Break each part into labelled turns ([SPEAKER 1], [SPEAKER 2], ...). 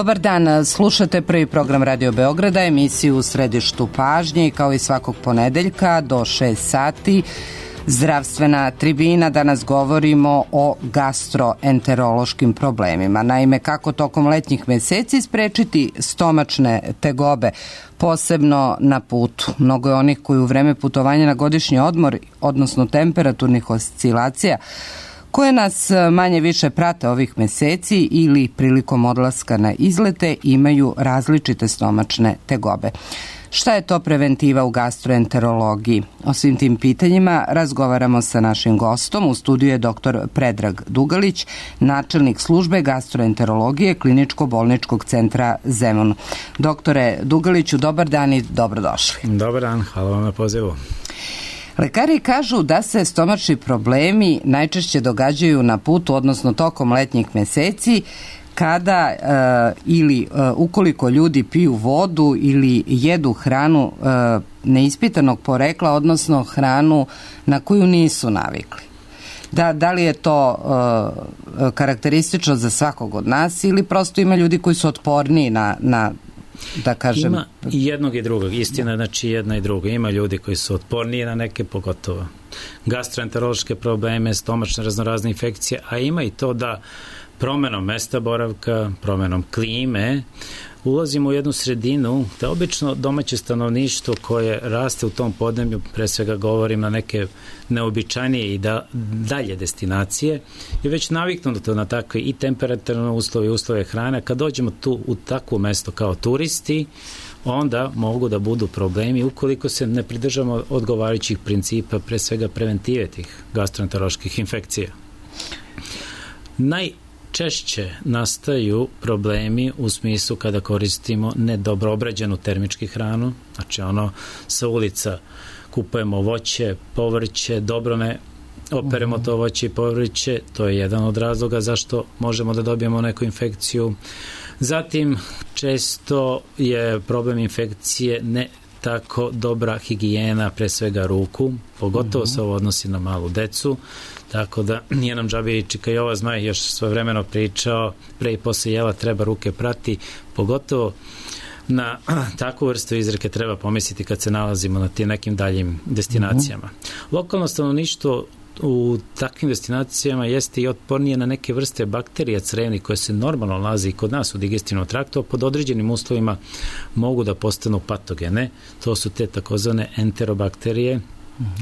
[SPEAKER 1] Dobar dan, slušate prvi program Radio Beograda, emisiju U središtu pažnje i kao i svakog ponedeljka do 6 sati zdravstvena tribina. Danas govorimo o gastroenterološkim problemima. Naime, kako tokom letnjih meseci sprečiti stomačne tegobe, posebno na putu. Mnogo je onih koji u vreme putovanja na godišnji odmor, odnosno temperaturnih oscilacija, koje nas manje više prate ovih meseci ili prilikom odlaska na izlete, imaju različite stomačne tegobe. Šta je to preventiva u gastroenterologiji? O svim tim pitanjima razgovaramo sa našim gostom. U studiju je dr. Predrag Dugalić, načelnik službe gastroenterologije Kliničko-bolničkog centra Zemun. Doktore Dugaliću, dobar dan i dobrodošli.
[SPEAKER 2] Dobar dan, hvala vam na pozivu.
[SPEAKER 1] Lekari kažu da se stomačni problemi najčešće događaju na putu, odnosno tokom letnjih meseci, kada ukoliko ljudi piju vodu ili jedu hranu neispitanog porekla, odnosno hranu na koju nisu navikli. Da li je to karakteristično za svakog od nas ili prosto ima ljudi koji su otporniji na da kažem...
[SPEAKER 2] Ima i jednog i drugog, istina, znači jedna i druga. Ima ljudi koji su otporniji na neke, pogotovo gastroenterološke probleme, stomačne raznorazne infekcije, a ima i to da promenom mesta boravka, promenom klime, ulazimo u jednu sredinu da obično domaće stanovništvo koje raste u tom podneblju, pre svega govorim na neke neobičajnije i dalje destinacije, je već naviknuto na takve i temperaturne uslove i uslove hrane. Kad dođemo tu u takvo mesto kao turisti, onda mogu da budu problemi ukoliko se ne pridržamo odgovarajućih principa, pre svega preventive tih gastroenteroloških infekcija. Najčešće nastaju problemi u smislu kada koristimo nedobro obrađenu termički hranu, znači sa ulica kupujemo voće, povrće, dobro ne operemo to voće i povrće, to je jedan od razloga zašto možemo da dobijemo neku infekciju. Zatim, često je problem infekcije ne tako dobra higijena, pre svega ruku, pogotovo se ovo odnosi na malu decu, tako da nije nam džabe Čika Jova Zmaj još svojevremeno pričao, pre i posle jela treba ruke prati, pogotovo na takvu vrstu izreke treba pomisliti kad se nalazimo na tim nekim daljim destinacijama. Lokalno stanovništvo u takvim destinacijama jeste i otpornije na neke vrste bakterija crevnih koje se normalno nalaze i kod nas u digestivnom traktu, a pod određenim uslovima mogu da postanu patogene. To su te takozvane enterobakterije,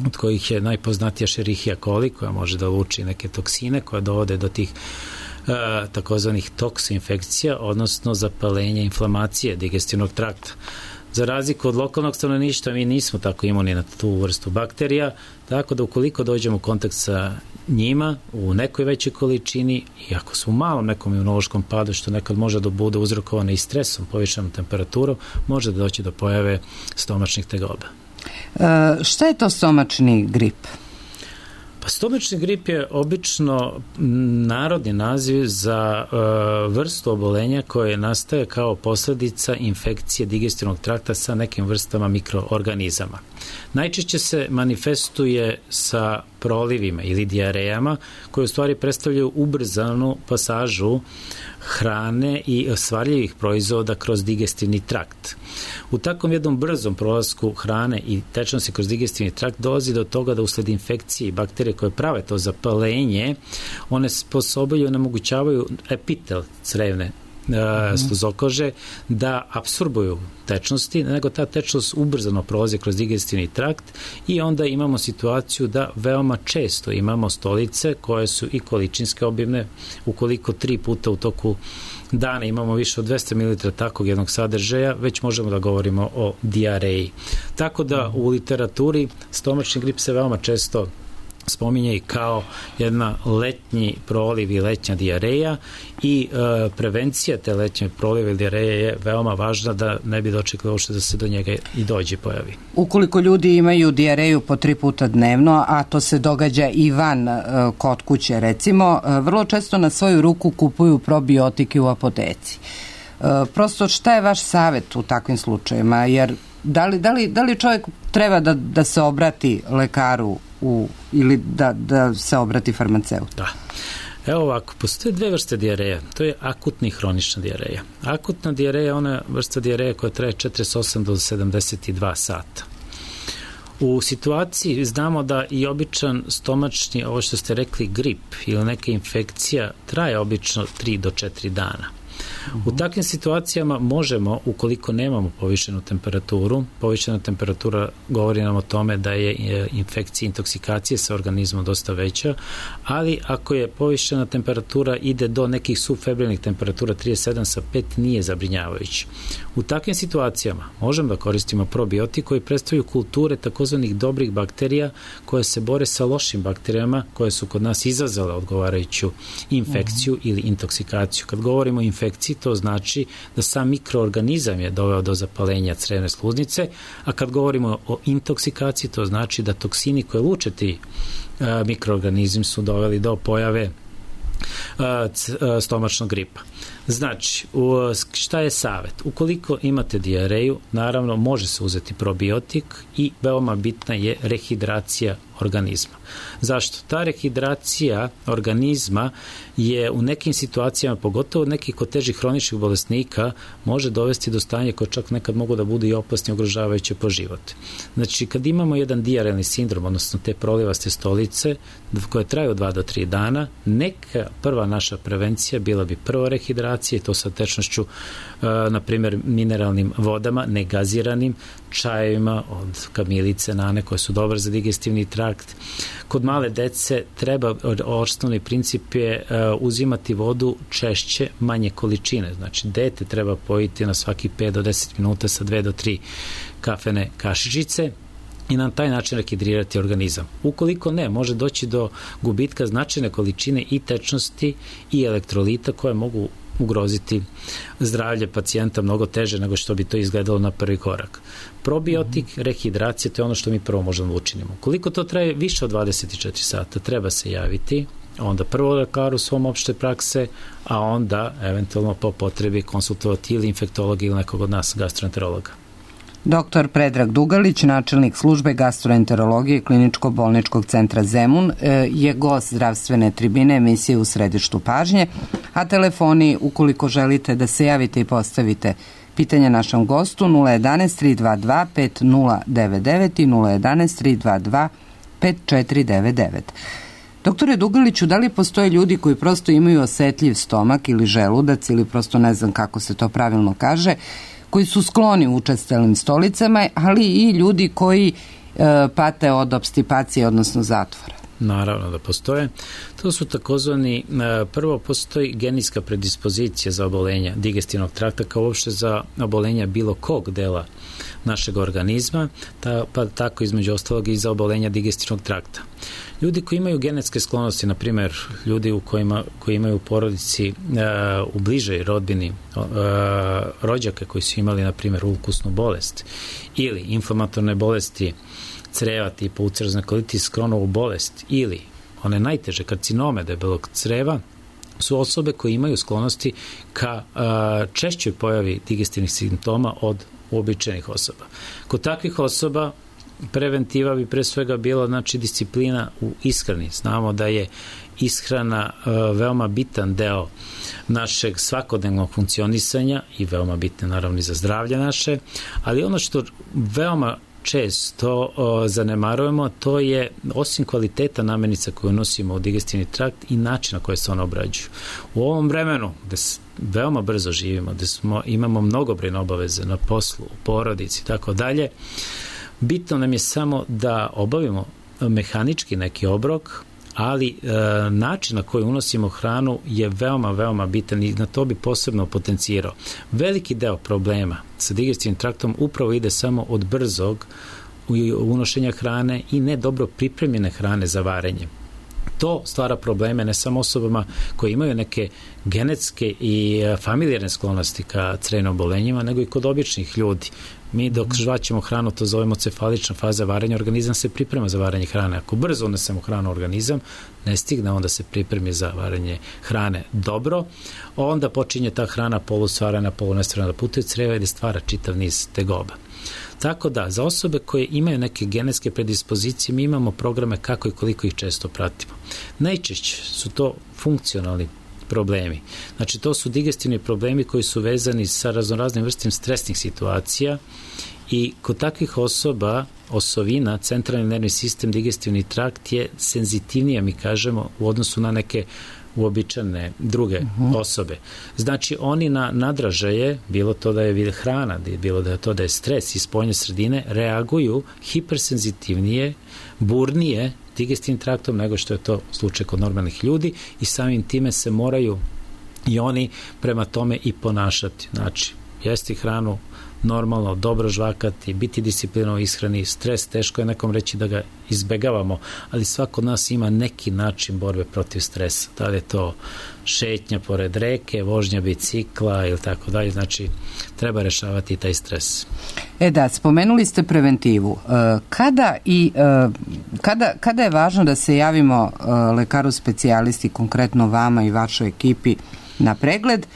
[SPEAKER 2] od kojih je najpoznatija Escherichia coli, koja može da luči neke toksine koje dovode do tih takozvanih toksinfekcija, odnosno zapalenja, inflamacije digestivnog trakta. Za razliku od lokalnog stanovništva, mi nismo tako imuni na tu vrstu bakterija, tako da ukoliko dođemo u kontakt sa njima u nekoj većoj količini, i ako su u malom nekom imunološkom padu, što nekad može da bude uzrokovano i stresom, povišenom temperaturom, može da doći do pojave stomačnih tegoba.
[SPEAKER 1] Šta je to stomačni grip?
[SPEAKER 2] Pa stomačni grip je obično narodni naziv za vrstu obolenja koje nastaje kao posljedica infekcije digestivnog trakta sa nekim vrstama mikroorganizama. Najčešće se manifestuje sa prolivima ili dijarejama koje u stvari predstavljaju ubrzanu pasažu hrane i svarljivih proizvoda kroz digestivni trakt. U takvom jednom brzom prolasku hrane i tečnosti kroz digestivni trakt dolazi do toga da usled infekcije i bakterije koje prave to zapalenje, one sposobaju i onemogućavaju epitel crevne sluzokože da apsorbuju tečnosti, nego ta tečnost ubrzano prolazi kroz digestivni trakt i onda imamo situaciju da veoma često imamo stolice koje su i količinske obimne, ukoliko 3 puta u toku dana imamo više od 200 ml takvog jednog sadržaja, već možemo da govorimo o dijareji. Tako da u literaturi stomačni grip se veoma često spominje i kao jedna letnji proliv i letnja dijareja i prevencija te letnje prolive i dijareje je veoma važna da ne bi dočekalo uopšte da se do njega i dođe pojavi.
[SPEAKER 1] Ukoliko ljudi imaju dijareju po 3 puta dnevno, a to se događa i van kod kuće recimo, vrlo često na svoju ruku kupuju probiotike u apoteci. Prosto šta je vaš savjet u takvim slučajima? Jer da li čovjek treba da se obrati lekaru ili da se obrati farmaceutu?
[SPEAKER 2] Da. Evo ovako, postoje dve vrste dijareja. To je akutna i hronična dijareja. Akutna dijareja je ona vrsta dijareja koja traje 48 do 72 sata. U situaciji znamo da i običan stomačni, ovo što ste rekli, grip ili neka infekcija traje obično 3 do 4 dana. U takvim situacijama možemo, ukoliko nemamo povišenu temperaturu, povišena temperatura govori nam o tome da je infekcija, intoksikacije sa organizmom dosta veća, ali ako je povišena temperatura ide do nekih subfebrilnih temperatura 37 sa 5 nije zabrinjavajući. U takvim situacijama možemo da koristimo probiotik koji predstavljaju kulture takozvanih dobrih bakterija koje se bore sa lošim bakterijama koje su kod nas izazvale odgovarajuću infekciju ili intoksikaciju. Kad govorimo o infekciji, to znači da sam mikroorganizam je doveo do zapalenja crevne sluznice, a kad govorimo o intoksikaciji, to znači da toksini koje luče ti mikroorganizmi su doveli do pojave stomačnog gripa. Znači, šta je savjet? Ukoliko imate dijareju, naravno može se uzeti probiotik i veoma bitna je rehidracija organizma. Zašto? Ta rehidracija organizma je u nekim situacijama, pogotovo nekih kod težih hroničnih bolesnika, može dovesti do stanja koje čak nekad mogu da budu i opasni, ugrožavajuće po život. Znači, kad imamo jedan dijarelni sindrom, odnosno te prolivaste stolice koje traju 2 do 3 dana, neka prva naša prevencija bila bi prvo rehidracija i to sa tečnošću, na primjer, mineralnim vodama, negaziranim, čajevima od kamilice, nane, koje su dobre za digestivni trakt. Kod male dece treba, osnovni princip je uzimati vodu češće, manje količine. Znači, dete treba pojiti na svaki 5 do 10 minuta sa 2 do 3 kafene kašičice i na taj način rehidrirati organizam. Ukoliko ne, može doći do gubitka značajne količine i tečnosti i elektrolita koje mogu ugroziti zdravlje pacijenta mnogo teže nego što bi to izgledalo na prvi korak. Probiotik, rehidracija, to je ono što mi prvo možemo učinimo. Koliko to traje više od 24 sata, treba se javiti, onda prvo lekaru svom opšte prakse, a onda eventualno po potrebi konsultovati ili infektologa ili nekog od nas gastroenterologa.
[SPEAKER 1] Dr. Predrag Dugalić, načelnik službe gastroenterologije Kliničko-bolničkog centra Zemun, je gost zdravstvene tribine emisije U središtu pažnje, a telefoni, ukoliko želite da se javite i postavite pitanje našem gostu, 011 322 5099 i 011 322 5499. Doktore Dugaliću, da li postoje ljudi koji prosto imaju osetljiv stomak ili želudac ili prosto ne znam kako se to pravilno kaže, koji su skloni učestalim stolicama, ali i ljudi koji pate od opstipacije, odnosno zatvora?
[SPEAKER 2] Naravno da postoje. To su takozvani, prvo postoji genetska predispozicija za obolenja digestivnog trakta, kao uopšte za obolenja bilo kog dela našeg organizma, pa tako između ostalog i za obolenja digestivnog trakta. Ljudi koji imaju genetske sklonosti, na primjer ljudi koji imaju u porodici u bližoj rodbini rođake koji su imali na primjer ulkusnu bolest ili inflamatorne bolesti creva tipa ulcerozni kolitis, Crohnovu bolest ili one najteže karcinome debelog creva, su osobe koje imaju sklonosti ka češćoj pojavi digestivnih simptoma od uobičajenih osoba. Kod takvih osoba preventiva bi pre svega bila, znači, disciplina u ishrani. Znamo da je ishrana veoma bitan deo našeg svakodnevnog funkcionisanja i veoma bitne naravno i za zdravlje naše, ali ono što veoma često zanemarujemo, to je osim kvaliteta namirnica koju nosimo u digestivni trakt i način na koji se one obrađuju. U ovom vremenu gde veoma brzo živimo, gde imamo mnogobrojne obaveze na poslu, u porodici i tako dalje, bitno nam je samo da obavimo mehanički neki obrok, ali način na koji unosimo hranu je veoma, veoma bitan i na to bi posebno potencirao. Veliki deo problema sa digestivnim traktom upravo ide samo od brzog unošenja hrane i nedobro pripremljene hrane za varenje. To stvara probleme ne samo osobama koje imaju neke genetske i familijarne sklonosti ka crevnim obolenjima, nego i kod običnih ljudi. Mi dok žvaćemo hranu, to zovemo cefalična faza varenja, organizam se priprema za varenje hrane. Ako brzo unesemo hranu u organizam, ne stigne onda se pripremi za varenje hrane dobro, onda počinje ta hrana polusvarana, polunestvarana da putuje creva i da stvara čitav niz tegoba. Tako da, za osobe koje imaju neke genetske predispozicije, mi imamo programe kako i koliko ih često pratimo. Najčešće su to funkcionalni problemi. Znači, to su digestivni problemi koji su vezani sa raznoraznim vrstim stresnih situacija i kod takvih osoba osovina, centralni nervni sistem, digestivni trakt je senzitivnija, mi kažemo, u odnosu na neke uobičajene druge osobe. Znači, oni na nadražaje, bilo to da je hrana, bilo da je to da je stres iz spoljne sredine, reaguju hipersenzitivnije, burnije digestivnim traktom nego što je to slučaj kod normalnih ljudi i samim time se moraju i oni prema tome i ponašati. Znači, jesti hranu normalno, dobro žvakati, biti disciplinovan u ishrani, stres, teško je nekom reći da ga izbegavamo, ali svako od nas ima neki način borbe protiv stresa. Da li je to šetnja pored reke, vožnja bicikla ili tako dalje, znači treba rešavati taj stres.
[SPEAKER 1] Da, spomenuli ste preventivu. Kada je važno da se javimo lekaru specijalisti, konkretno vama i vašoj ekipi, na pregled?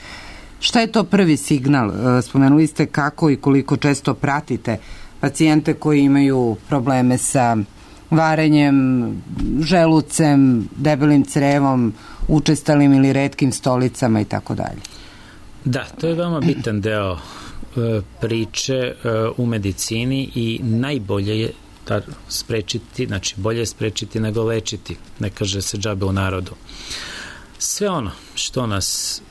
[SPEAKER 1] Šta je to prvi signal? Spomenuli ste kako i koliko često pratite pacijente koji imaju probleme sa varenjem, želucem, debelim crevom, učestalim ili retkim stolicama i tako dalje.
[SPEAKER 2] Da, to je veoma bitan deo priče u medicini i najbolje je sprečiti, znači bolje je sprečiti nego lečiti, ne kaže se džabe u narodu. Sve ono što nas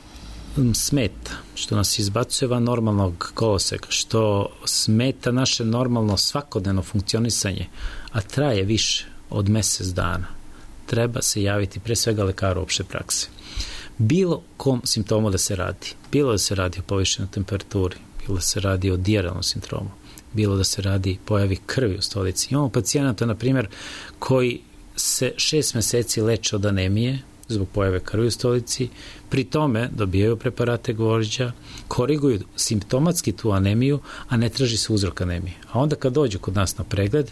[SPEAKER 2] smeta, što nas izbacuje van normalnog koloseka, što smeta naše normalno svakodnevno funkcionisanje, a traje više od mesec dana, treba se javiti pre svega lekaru opšte prakse. Bilo kom simptomu da se radi, bilo da se radi o povišenoj temperaturi, bilo da se radi o dijaralnom sindromu, bilo da se radi pojavi krvi u stolici. Imamo pacijenata, na primjer, koji se 6 meseci leče od anemije zbog pojave krvi u stolici, pri tome dobijaju preparate gvožđa, koriguju simptomatski tu anemiju, a ne traži se uzrok anemije. A onda kad dođu kod nas na pregled,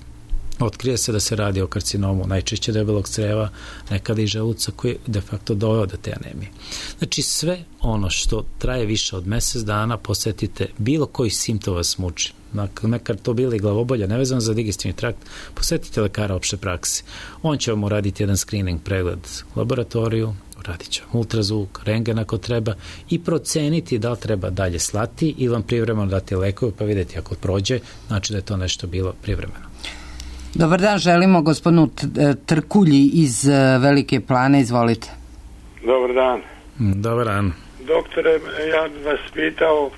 [SPEAKER 2] otkrije se da se radi o karcinomu, najčešće debelog creva, nekada i želuca koji de facto doveo do te anemije. Znači, sve ono što traje više od mesec dana, posetite bilo koji simptom vas muči. Nekad to bili glavobolja, nevezano za digestivni trakt, posetite lekara opšte prakse. On će vam uraditi jedan screening pregled u laboratoriju, uradit će vam ultrazvuk, rentgen ako treba i proceniti da li treba dalje slati ili vam privremeno dati lekove, pa vidjeti ako prođe, znači da je to nešto bilo privremeno.
[SPEAKER 1] Dobar dan, želimo gospodinu Trkulji iz Velike Plane, izvolite.
[SPEAKER 3] Dobar dan.
[SPEAKER 2] Dobar dan.
[SPEAKER 3] Doktore, ja vas pitao,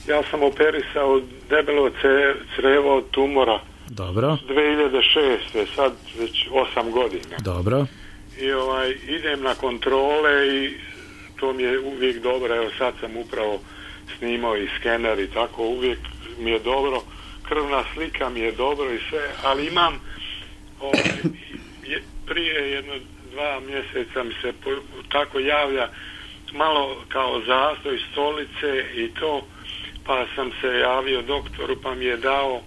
[SPEAKER 3] ja sam operisao debelo crevo od tumora.
[SPEAKER 2] Dobro.
[SPEAKER 3] 2006. sad već 8 godina.
[SPEAKER 2] Dobro.
[SPEAKER 3] I idem na kontrole i to mi je uvijek dobro. Evo sad sam upravo snimao i skener i tako, uvijek mi je dobro. Krvna slika mi je dobro i sve, ali imam prije 2 mjeseca mi se tako javlja malo kao zastoj stolice i to, pa sam se javio doktoru, pa mi je dao,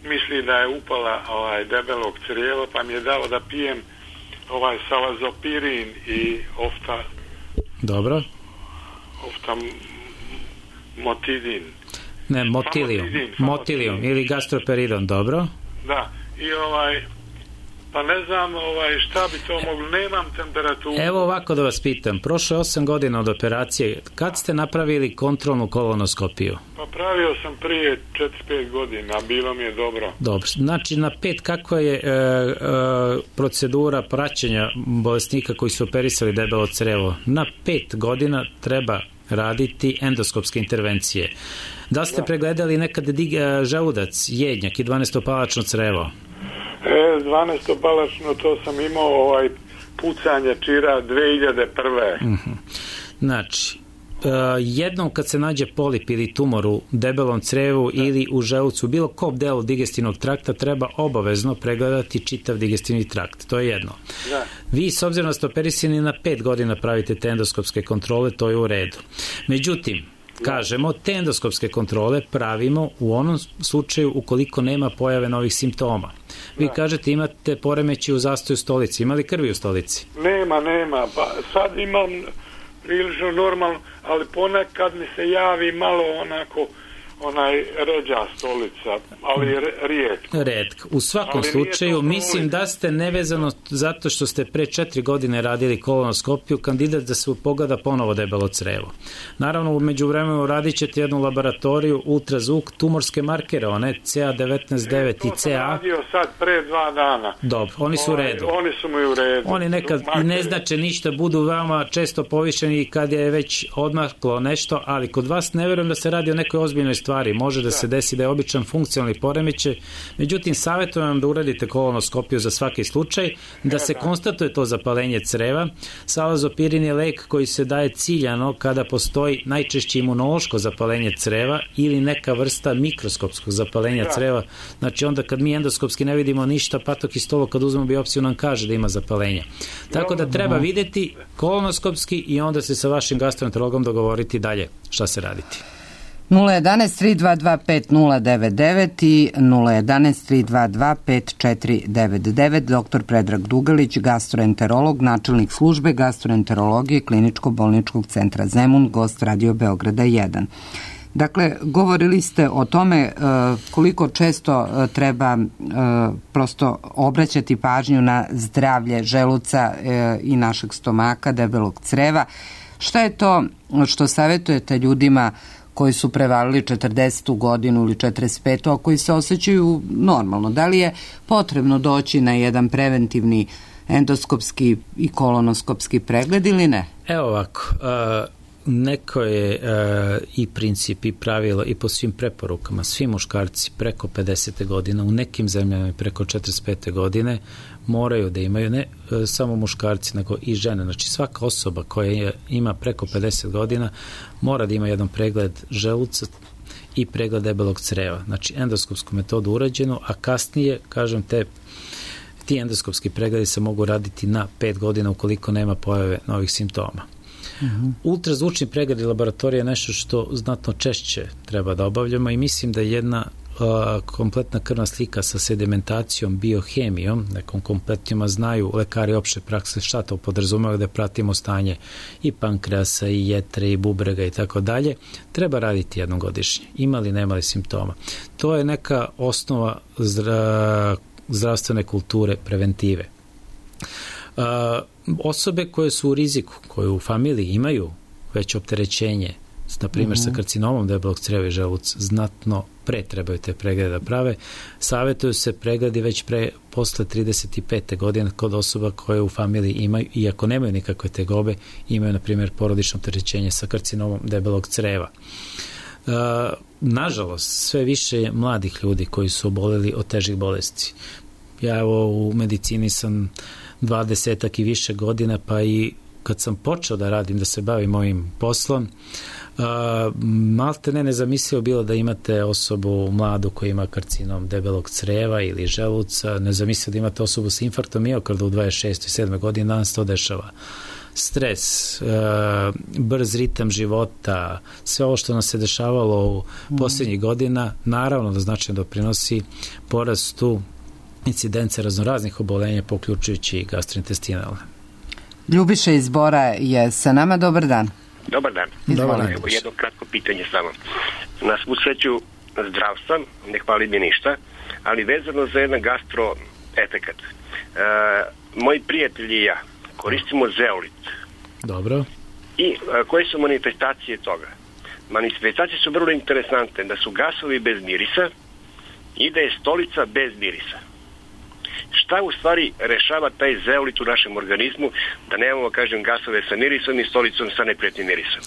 [SPEAKER 3] misli da je upala debelog crijeva, pa mi je dao da pijem salazopirin i oftamotidin.
[SPEAKER 2] Ne, motilijum ili gastroperidon, dobro.
[SPEAKER 3] Da, i pa ne znam šta bi to moglo, nemam temperaturu.
[SPEAKER 2] Evo ovako da vas pitam, prošlo je 8 godina od operacije, kad ste napravili kontrolnu kolonoskopiju?
[SPEAKER 3] Pa pravio sam prije 4-5 godina, bilo mi je dobro.
[SPEAKER 2] Dobro, znači na 5, kakva je procedura praćenja bolesnika koji su operisali debelo crevo? Na 5 godina treba raditi endoskopske intervencije. Da ste pregledali nekad želudac, jednjak i 12-palačno crevo?
[SPEAKER 3] 12-palačno, to sam imao pucanje čira 2001.
[SPEAKER 2] Znači, jednom kad se nađe polip ili tumor u debelom crevu ili u želucu, bilo kom delu digestivnog trakta, treba obavezno pregledati čitav digestivni trakt. To je jedno.
[SPEAKER 3] Da.
[SPEAKER 2] Vi, s obzirom da ste operisani, na 5 godina pravite te endoskopske kontrole, to je u redu. Međutim, kažemo, te endoskopske kontrole pravimo u onom slučaju ukoliko nema pojave novih simptoma. Vi kažete imate poremećaj u zastoju stolici. Ima li krvi u stolici?
[SPEAKER 3] Nema. Pa sad imam prilično normalno, ali ponekad mi se javi malo onako onaj ređa stolica, ali rijetko.
[SPEAKER 2] U svakom slučaju, mislim da ste nevezano zato što ste pre 4 godine radili kolonoskopiju, kandidat da se pogleda ponovo debelo crevo. Naravno, umeđu vremenu radit ćete jednu laboratoriju, ultrazvuk, tumorske markere, one CA19-9 i CA. To sam
[SPEAKER 3] radio sad pre 2 dana.
[SPEAKER 2] Dobro, oni su u redu.
[SPEAKER 3] Oni su mi u redu.
[SPEAKER 2] Oni nekad i ne znače ništa, budu veoma često povišeni kad je već odmaklo nešto, ali kod vas ne verujem da se radi o nekoj ozbiljnoj stvari. Može da se desi da je običan funkcionalni poremećaj. Međutim, savjetujem vam da uradite kolonoskopiju za svaki slučaj, da se konstatuje to zapalenje creva. Salazopirin je lek koji se daje ciljano kada postoji najčešće imunološko zapalenje creva ili neka vrsta mikroskopskog zapalenja creva. Znači onda kad mi endoskopski ne vidimo ništa, patokistolog kad uzmemo biopsiju nam kaže da ima zapalenje. Tako da treba videti kolonoskopski i onda se sa vašim gastroenterologom dogovoriti dalje šta se raditi.
[SPEAKER 1] 011-322-5099 i 011-322-5499. Dr. Predrag Dugalić, gastroenterolog, načelnik službe gastroenterologije Kliničko-bolničkog centra Zemun, gost Radio Beograda 1. Dakle, govorili ste o tome koliko često treba prosto obraćati pažnju na zdravlje želuca i našeg stomaka, debelog creva. Šta je to što savjetujete ljudima koji su prevalili 40. godinu ili 45. a koji se osjećaju normalno? Da li je potrebno doći na jedan preventivni endoskopski i kolonoskopski pregled ili ne?
[SPEAKER 2] Evo ovako, neko je i princip i pravilo i po svim preporukama, svi muškarci preko 50. godina, u nekim zemljama preko 45. godine moraju da imaju, ne samo muškarci, nego i žene. Znači svaka osoba koja ima preko 50 godina mora da ima jedan pregled želuca i pregled debelog creva. Znači endoskopsku metodu urađenu, a kasnije, kažem, ti endoskopski pregledi se mogu raditi na 5 godina ukoliko nema pojave novih simptoma. Ultrazvučni pregled i laboratorija je nešto što znatno češće treba da obavljamo i mislim da jedna kompletna krvna slika sa sedimentacijom, biohemijom, nekom kompletnjima znaju lekari opšte prakse šta to podrazumeva, da pratimo stanje i pankreasa, i jetre, i bubrega i tako dalje, treba raditi jednom godišnje. Ima li, nema li simptoma. To je neka osnova zdravstvene kulture, preventive. Osobe koje su u riziku, koje u familiji imaju već opterećenje, na primjer sa karcinomom debelog creva i želuca, znatno pre trebaju te preglede da prave. Savjetuju se pregledi već posle 35. godine kod osoba koje u familiji imaju, iako nemaju nikakve tegobe, imaju na primjer porodično opterećenje sa karcinomom debelog creva. Nažalost, sve više je mladih ljudi koji su oboleli od težih bolesti. Ja evo u medicini sam 20 i više godina, pa i kad sam počeo da radim, da se bavim ovim poslom, malte ne nezamislivo bilo da imate osobu mladu koja ima karcinom debelog creva ili želuca, nezamislivo da imate osobu sa infarktom miokarda u 26. i 7. godini, danas to dešava. Stres, brz ritam života, sve ovo što nam se dešavalo u posljednjih godina, naravno da značajno doprinosi porastu incidence raznoraznih obolenja, poključujući i gastrointestinalne.
[SPEAKER 1] Ljubiša iz Bora je sa nama. Dobar dan.
[SPEAKER 4] Dobar dan. Evo jedno kratko pitanje samo. Na svu sreću zdravstva, ne hvali mi ništa, ali vezano za jedan gastro efekat. Moji prijatelji i ja koristimo zeolit.
[SPEAKER 2] Dobro.
[SPEAKER 4] I koje su manifestacije toga? Manifestacije su vrlo interesantne, da su gasovi bez mirisa i da je stolica bez mirisa. Šta u stvari rešava taj zeolit u našem organizmu, da nemamo, kažem, gasove sa mirisom i stolicom sa neprijatnim mirisom?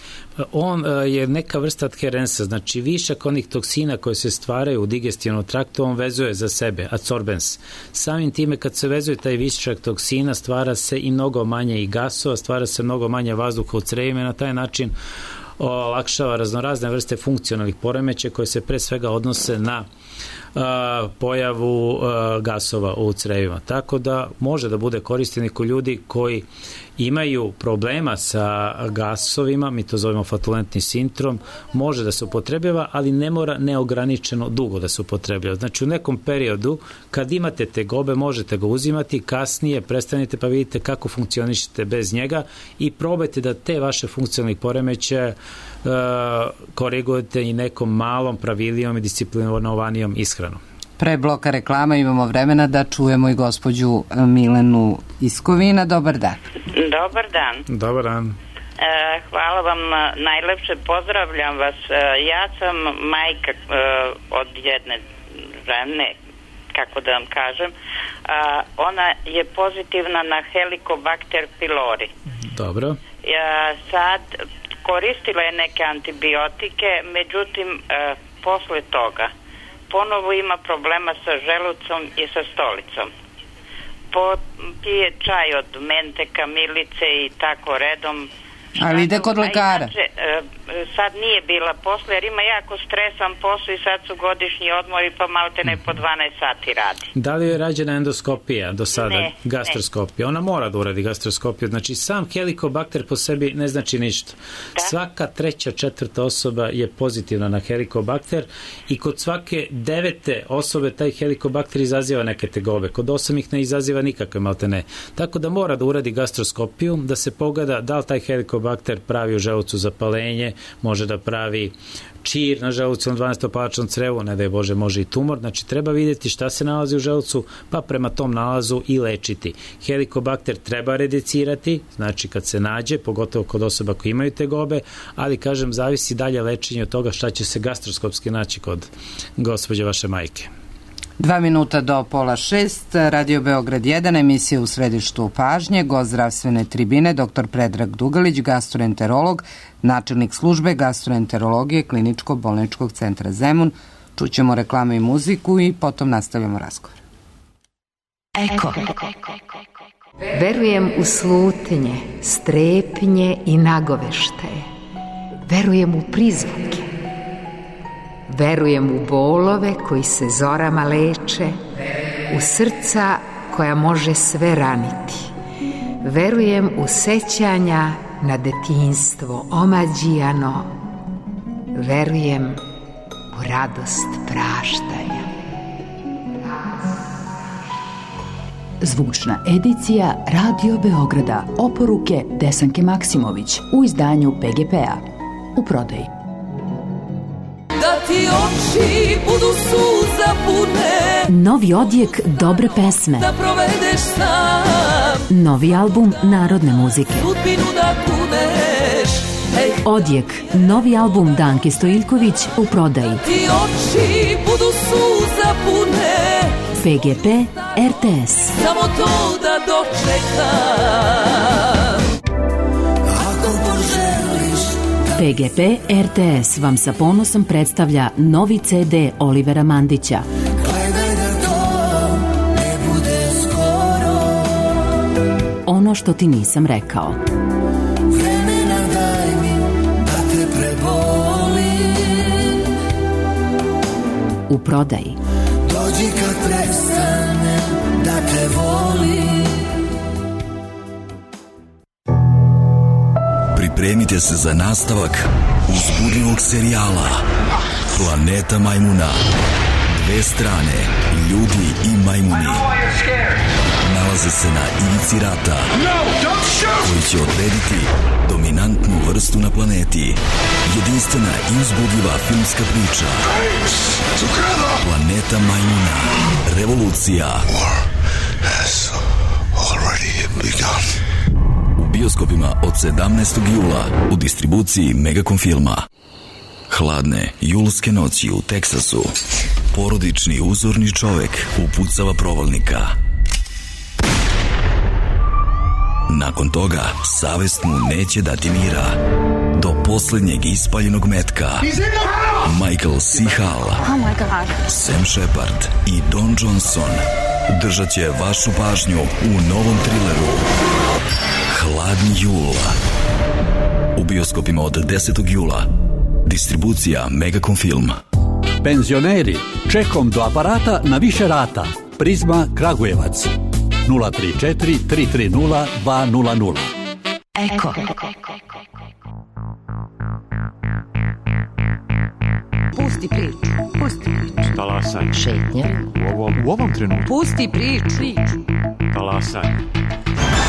[SPEAKER 2] On je neka vrsta adherensa, znači višak onih toksina koje se stvaraju u digestivnom traktu, on vezuje za sebe, adsorbens. Samim time kad se vezuje taj višak toksina, stvara se i mnogo manje i gasova, stvara se mnogo manje vazduha u crevima i na taj način olakšava raznorazne vrste funkcionalnih poremećaja koje se pre svega odnose na pojavu gasova u crevima. Tako da može da bude koristan kod ljudi koji imaju problema sa gasovima, mi to zovemo flatulentni sindrom, može da se upotrebljava, ali ne mora neograničeno dugo da se upotrebljava. Znači u nekom periodu kad imate tegobe možete ga uzimati, kasnije prestanete pa vidite kako funkcionišete bez njega i probajte da te vaše funkcionalne poremećaje korigujete i nekom malom pravilijom i disciplinovanijom ishranom.
[SPEAKER 1] Pre bloka reklama imamo vremena da čujemo i gospođu Milenu Iskovina. Dobar dan.
[SPEAKER 5] Dobar dan.
[SPEAKER 2] Dobar dan.
[SPEAKER 5] Hvala vam najlepše, pozdravljam vas. Ja sam majka od jedne žene, kako da vam kažem. Ona je pozitivna na Helicobacter pylori.
[SPEAKER 2] Dobro.
[SPEAKER 5] Sad koristila je neke antibiotike, međutim posle toga ponovo ima problema sa želucom i sa stolicom. Pije čaj od mente, kamilice i tako redom.
[SPEAKER 1] Ali ide kod lekara?
[SPEAKER 5] Sad nije bila posle, jer ima jako stresan posao i sad su godišnji odmori, pa malte ne po 12 sati radi.
[SPEAKER 2] Da li je rađena endoskopija do sada?
[SPEAKER 5] Ne,
[SPEAKER 2] gastroskopija. Ona mora da uradi gastroskopiju. Znači, sam Helicobacter po sebi ne znači ništa. Da? Svaka 3., 4. osoba je pozitivna na Helicobacter i kod svake 9. osobe taj Helicobacter izaziva neke tegobe. Kod 8 ih ne izaziva nikakve, malte ne. Tako da mora da uradi gastroskopiju, da se pogleda da li taj Helicobacter pravi u želucu zapalenje, može da pravi čir na želucu na 12-palačnom crevu, ne daj Bože, može i tumor. Znači, treba vidjeti šta se nalazi u želucu, pa prema tom nalazu i lečiti. Helicobacter treba redicirati, znači kad se nađe, pogotovo kod osoba koji imaju tegobe, ali, kažem, zavisi dalje lečenje od toga šta će se gastroskopski naći kod gospođe vaše majke.
[SPEAKER 1] 2 minuta do 5:30, Radio Beograd 1, emisija u središtu pažnje, gost zdravstvene tribine, dr. Predrag Dugalić, gastroenterolog, načelnik službe gastroenterologije Kliničko-bolničkog centra Zemun. Čućemo reklamu i muziku i potom nastavljamo razgovor.
[SPEAKER 6] Eko. Verujem u slutnje, strepnje i nagoveštaje. Verujem u prizvuke. Verujem u bolove koji se zorama leče, u srca koja može sve raniti. Verujem u sećanja na detinjstvo omađijano. Verujem u radost praštanja.
[SPEAKER 7] Zvučna edicija Radio Beograda. Oporuke Desanke Maksimović u izdanju PGP-a. U prodaji.
[SPEAKER 8] Da ti oči budu suza pune,
[SPEAKER 7] Novi odjek dobre pesme,
[SPEAKER 8] da provedeš sam,
[SPEAKER 7] novi album narodne muzike,
[SPEAKER 8] sudbinu da kuneš.
[SPEAKER 7] Odjek, novi album Danke Stojiljković u prodaji.
[SPEAKER 8] Ti oči budu suza pune,
[SPEAKER 7] PGP RTS.
[SPEAKER 8] samo to da dočekam. Ako poželiš
[SPEAKER 7] PGP RTS vam sa ponosom predstavlja novi CD Olivera Mandića.
[SPEAKER 8] gledaj da to ne bude skoro,
[SPEAKER 7] Ono što ti nisam rekao.
[SPEAKER 8] vremena daj mi da te prebolim.
[SPEAKER 7] U prodaji.
[SPEAKER 8] Dođi kad prestanem da te volim.
[SPEAKER 9] Pripremite se za nastavak uzbudljivog serijala Planeta majmuna. Dve strane, ljudi i majmuni, nalaze se na ivici rata koji će odrediti dominantnu vrstu na planeti. Jedinstvena i uzbudljiva filmska priča Planeta majmuna. Revolucija. U bioskopima od 17. jula u distribuciji Megacom filma. Hladne julske noći u Teksasu. Porodični uzorni čovek upucava provalnika. Nakon toga savest mu neće dati mira. Do poslednjeg ispaljenog metka Michael C. Hall, Sam Shepard i Don Johnson držat će vašu pažnju u novom trileru Hladni jul. U bioskopima od 10. jula. Distribucija Megacom film.
[SPEAKER 10] Penzioneri, čekom do aparata na više rata. Prizma Kragujevac 034 330 200.
[SPEAKER 6] Eko.
[SPEAKER 11] Pusti priču.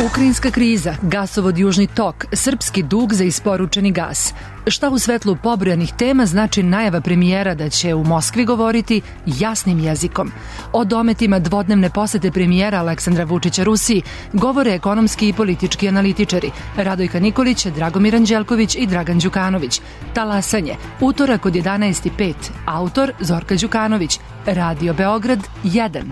[SPEAKER 12] Ukrajinska kriza, gasovod Južni tok, srpski dug za isporučeni gas. Šta u svetlu pobrojanih tema znači najava premijera da će u Moskvi govoriti jasnim jezikom? O dometima dvodnevne posete premijera Aleksandra Vučića Rusiji govore ekonomski i politički analitičari Radojka Nikolić, Dragomir Anđelković i Dragan Đukanović. Talasanje, utorak od 11:05, autor Zorka Đukanović, Radio Beograd 1.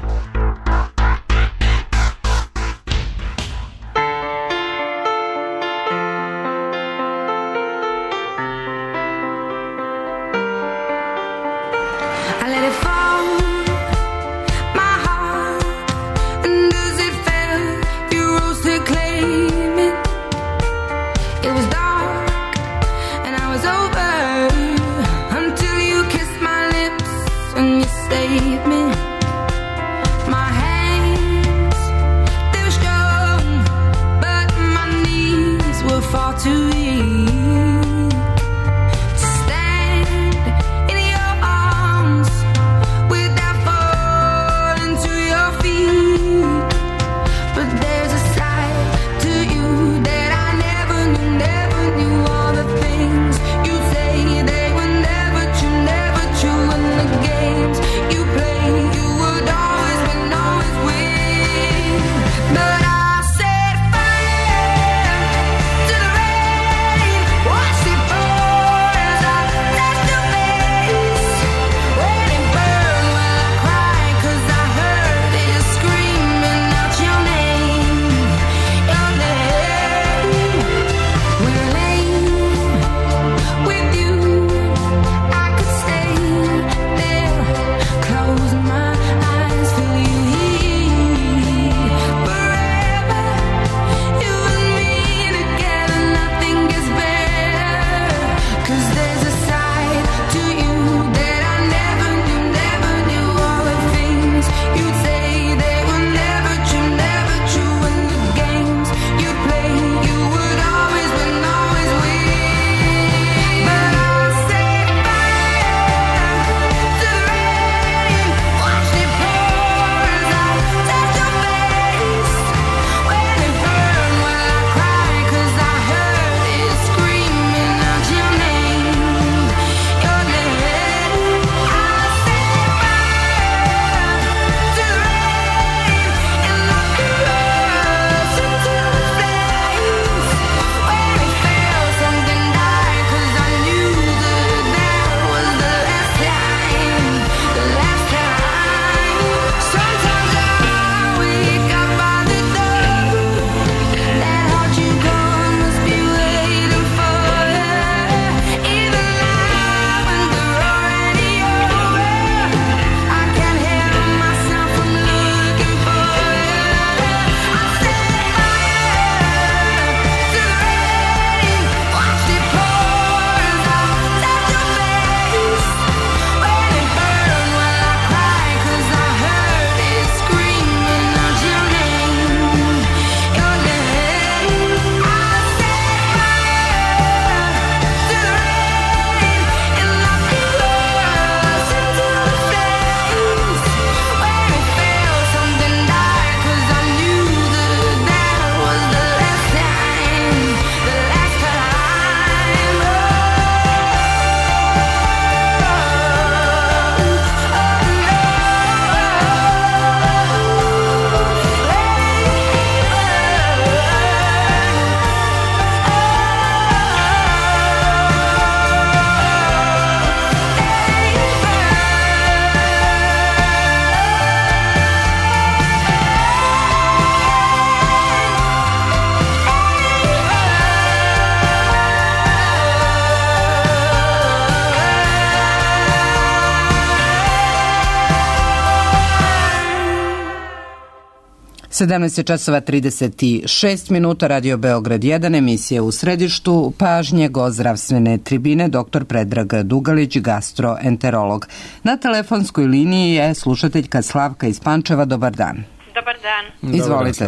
[SPEAKER 1] Sedamnaest je časova 36 minuta, Radio Beograd 1, emisija u središtu pažnje, gost zdravstvene tribine, dr. Predrag Dugalić, gastroenterolog. Na telefonskoj liniji je slušateljka Slavka iz Pančeva. Dobar dan.
[SPEAKER 13] Dobar dan.
[SPEAKER 1] Izvolite.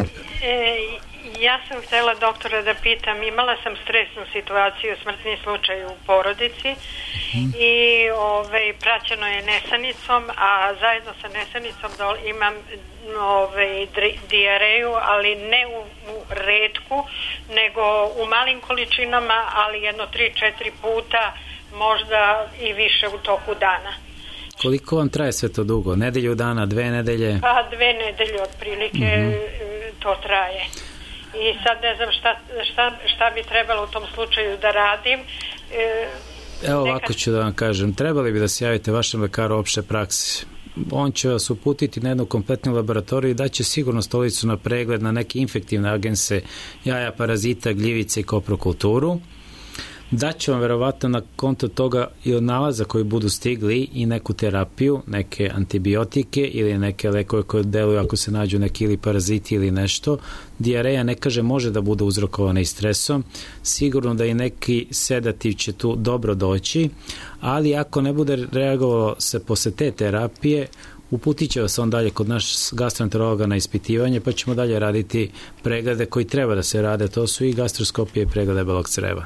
[SPEAKER 13] Ja sam htjela doktora da pitam, imala sam stresnu situaciju, smrtni slučaj u porodici i praćeno je nesanicom, a zajedno sa nesanicom imam dijareju, ali ne retku, nego u malim količinama, ali jedno 3-4 puta, možda i više u toku dana.
[SPEAKER 2] Koliko vam traje sve to dugo? Nedelju dana, 2 nedelje?
[SPEAKER 13] Pa 2 nedelje otprilike to traje. I sad ne znam šta bi trebalo u tom slučaju da radim.
[SPEAKER 2] Evo ovako ću da vam kažem, trebali bi da se javite vašem lekaru opšte prakse. On će vas uputiti na jednu kompletnu laboratoriju i daće sigurno stolicu na pregled na neke infektivne agense, jaja, parazita, gljivice i koprokulturu. Daće vam verovatno na konto toga i od nalaza koji budu stigli i neku terapiju, neke antibiotike ili neke lekove koje deluju ako se nađu neki ili paraziti ili nešto. Dijareja ne kaže može da bude uzrokovana i stresom, sigurno da i neki sedativ će tu dobro doći, ali ako ne bude reagovalo se posle te terapije, uputit će vas on dalje kod naš gastroenterologa na ispitivanje, pa ćemo dalje raditi preglede koji treba da se rade, to su i gastroskopije i preglede debelog creva.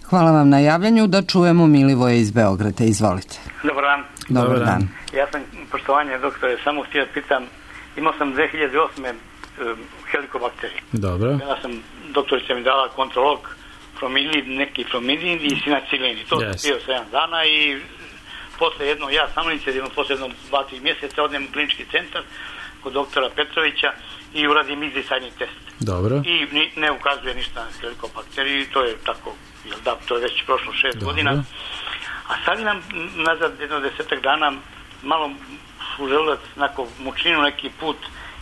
[SPEAKER 1] Hvala vam na javljanju, da čujemo Milivoje iz Beograda. Izvolite.
[SPEAKER 14] Dobar dan.
[SPEAKER 1] Dobar dan.
[SPEAKER 14] Ja sam, poštovanje doktore, samo htio pitam, imao sam 2008. helikobakterije.
[SPEAKER 2] Dobro.
[SPEAKER 14] Ja sam, doktorica mi dala kontrolog neki fromidin i sinacilin. To sam pio 7 dana i posle jedno, ja samoinicijativno, posle jedno 2-3 mjeseca odem u klinički centar kod doktora Petrovića i uradim izdisajni test.
[SPEAKER 2] Dobro.
[SPEAKER 14] I ne ukazuje ništa na helikobakteriju, to je tako. Da, to je već prošlo 6 godina. A sad imam nazad jedno 10 dana malo u želudac, mučninu neki put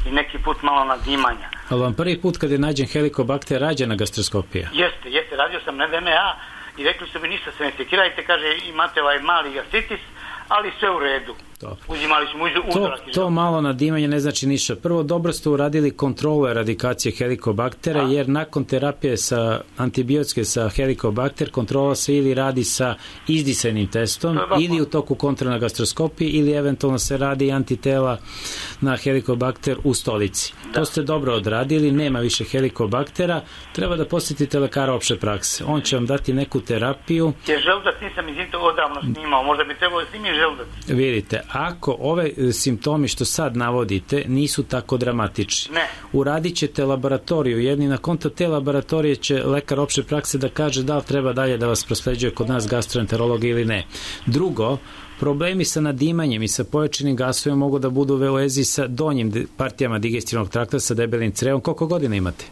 [SPEAKER 14] i neki put malo nadimanja.
[SPEAKER 2] Ali vam prvi put kad je nađen helikobakter rađena gastroskopija?
[SPEAKER 14] Jeste, radio sam na DMA i rekli su mi ništa se ne sekirajte, kaže imate ovaj mali gastritis, ali sve u redu. Uzimali smo uzorak.
[SPEAKER 2] To malo nadimanje ne znači ništa. Prvo, dobro ste uradili kontrolu eradikacije helikobaktera, jer nakon terapije sa antibiotske sa helikobakter, kontrola se ili radi sa izdisajnim testom, ili u toku kontrole na gastroskopiji, ili eventualno se radi antitela na helikobakter u stolici. To ste dobro odradili, nema više helikobaktera, treba da posjetite lekara opšte prakse. On će vam dati neku terapiju.
[SPEAKER 14] Jer želudac nisam izvinito odavno snimao, možda bi trebalo da snimim želudac.
[SPEAKER 2] Vidite, ako ove simptomi što sad navodite nisu tako dramatični, uradit ćete laboratoriju, jedni na konto te laboratorije će lekar opšte prakse da kaže da li treba dalje da vas prosleđuje kod nas gastroenterologa ili ne. Drugo, problemi sa nadimanjem i sa pojačanim gasovima mogu da budu u vezi sa donjim partijama digestivnog trakta, sa debelim crevom. Koliko godina imate?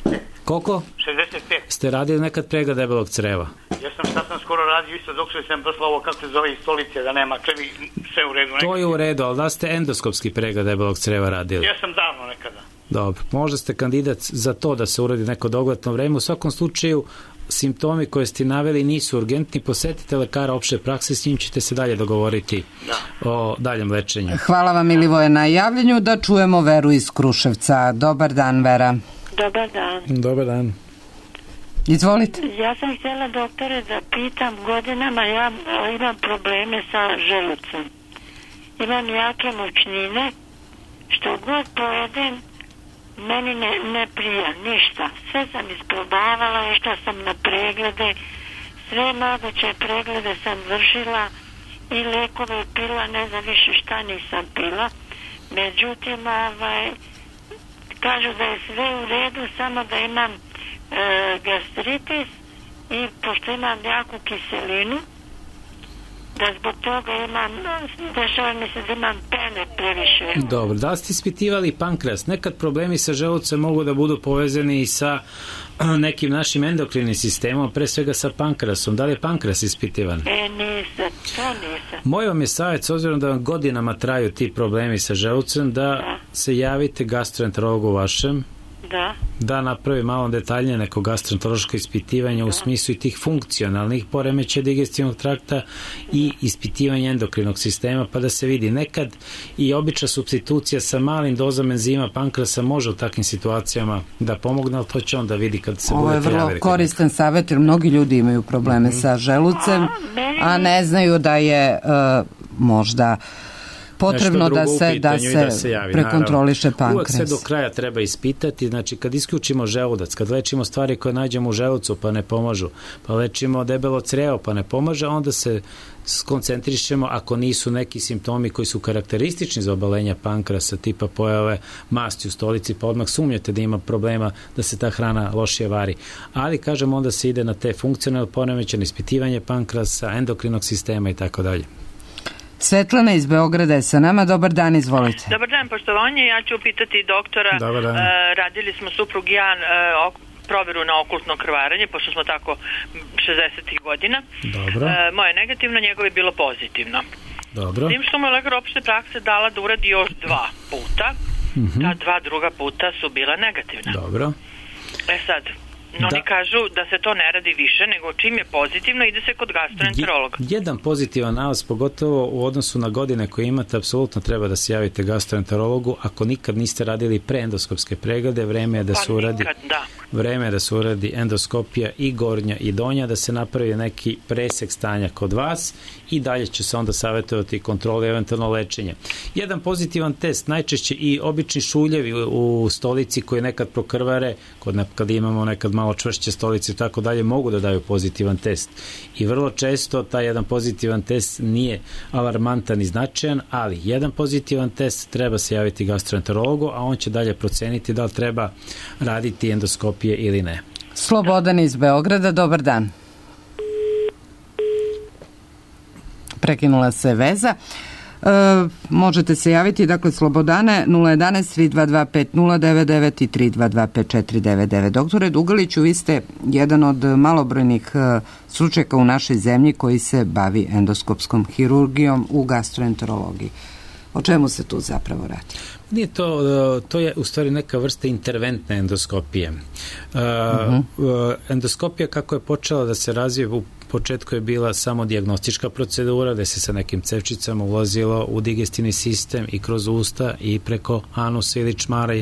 [SPEAKER 14] 65.
[SPEAKER 2] Koliko?
[SPEAKER 14] 65.
[SPEAKER 2] Ste radili nekad pregled debelog creva?
[SPEAKER 14] Ja sam skoro radio isto dok sam poslao ovo kako se zove iz stolice, da nema krvi, sve u redu.
[SPEAKER 2] To je u redu, ali da ste endoskopski pregled debelog creva radili?
[SPEAKER 14] Ja sam davno nekada.
[SPEAKER 2] Dobro, možda ste kandidat za to da se uradi neko dogledno vreme. U svakom slučaju, simptomi koje ste naveli nisu urgentni, posetite lekara opšte prakse, s njim ćete se dalje dogovoriti o daljem lečenju.
[SPEAKER 1] Hvala vam Milivoje na javljanju, da čujemo Veru iz Kruševca. Dobar dan, Vera.
[SPEAKER 15] Dobar dan.
[SPEAKER 2] Dobar dan.
[SPEAKER 1] Izvolite.
[SPEAKER 15] Ja sam htjela doktore da pitam, godinama ja imam probleme sa želucom. Imam jake mučnine, što god pojedem, meni ne prija ništa. Sve sam isprobavala, išla sam na preglede, sve moguće preglede sam vršila i lekove pila, ne znam više šta nisam pila. Međutim, kažu da je sve u redu, samo da imam gastritis i pošto imam jaku kiselinu, da zbog toga dešava mi se da imam pene previše.
[SPEAKER 2] Dobro, da li ste ispitivali pankreas? Nekad problemi sa želucem mogu da budu povezani i sa nekim našim endokrinim sistemom, pre svega sa pankreasom. Da li je pankreas ispitivan?
[SPEAKER 15] Nisam.
[SPEAKER 2] Moj vam je savjet, s obzirom da vam godinama traju ti problemi sa želucem, da se javite gastroenterologu vašem, da napravi malo detaljnije neko gastroenterološko ispitivanje u smislu i tih funkcionalnih poremećaja digestivnog trakta i ispitivanje endokrinog sistema, pa da se vidi. Nekad i obična supstitucija sa malim dozama enzima pankreasa može u takvim situacijama da pomogne, ali to će on da vidi kad se budete javili.
[SPEAKER 1] Ovo je vrlo koristan savjet, jer mnogi ljudi imaju probleme sa želucem, a ne znaju da je možda potrebno da se
[SPEAKER 2] javi,
[SPEAKER 1] prekontroliše pankreas.
[SPEAKER 2] Uvek sve do kraja treba ispitati, znači kad isključimo želudac, kad lečimo stvari koje nađemo u želucu pa ne pomažu, pa lečimo debelo crevo pa ne pomaže, onda se skoncentrišemo ako nisu neki simptomi koji su karakteristični za obolenja pankrasa, tipa pojave masti u stolici, pa odmah sumnjate da ima problema da se ta hrana lošije vari. Ali, kažem, onda se ide na te funkcionalne poremećaje, ispitivanje pankrasa, endokrinog sistema i tako dalje.
[SPEAKER 1] Svetlana iz Beograda je sa nama. Dobar dan, izvolite.
[SPEAKER 16] Dobar dan, poštovanje. Ja ću pitati doktora. Radili smo suprug i ja proveru na okultno krvarenje, pošto smo tako 60. godina.
[SPEAKER 2] Dobro.
[SPEAKER 16] Moje negativno, njegovo je bilo pozitivno.
[SPEAKER 2] Dobro.
[SPEAKER 16] Tim što mu je lekar opšte prakse dala da uradi još 2 puta. Ta 2 druga puta su bila negativna.
[SPEAKER 2] Dobro.
[SPEAKER 16] Sad, oni kažu da se to ne radi više, nego čim je pozitivno ide se kod gastroenterologa.
[SPEAKER 2] Jedan pozitivan nalaz, pogotovo u odnosu na godine koje imate, apsolutno treba da se javite gastroenterologu. Ako nikad niste radili preendoskopske preglede, vreme je da se uradi vreme je da se uradi endoskopija i gornja i donja, da se napravi neki presek stanja kod vas i dalje će se onda savjetovati kontrole, eventualno lečenje. Jedan pozitivan test, najčešće i obični šuljevi u stolici koji nekad prokrvare, kad imamo nekad malo čvršće stolice i tako dalje, mogu da daju pozitivan test. I vrlo često taj jedan pozitivan test nije alarmantan i značajan, ali jedan pozitivan test treba se javiti gastroenterologu, a on će dalje proceniti da li treba raditi endoskopije ili ne.
[SPEAKER 1] Slobodan iz Beograda, dobar dan. Prekinula se veza. Možete se javiti, dakle, Slobodane, 011 322 5099 i 322 5499. Doktore Dugaliću, vi ste jedan od malobrojnih stručnjaka u našoj zemlji koji se bavi endoskopskom hirurgijom u gastroenterologiji. O čemu se tu zapravo radi?
[SPEAKER 2] Nije to je u stvari neka vrsta interventne endoskopije. Endoskopija kako je počela da se razvije, u početku je bila samo dijagnostička procedura gde se sa nekim cevčicama ulazilo u digestivni sistem i kroz usta i preko anusa ili čmara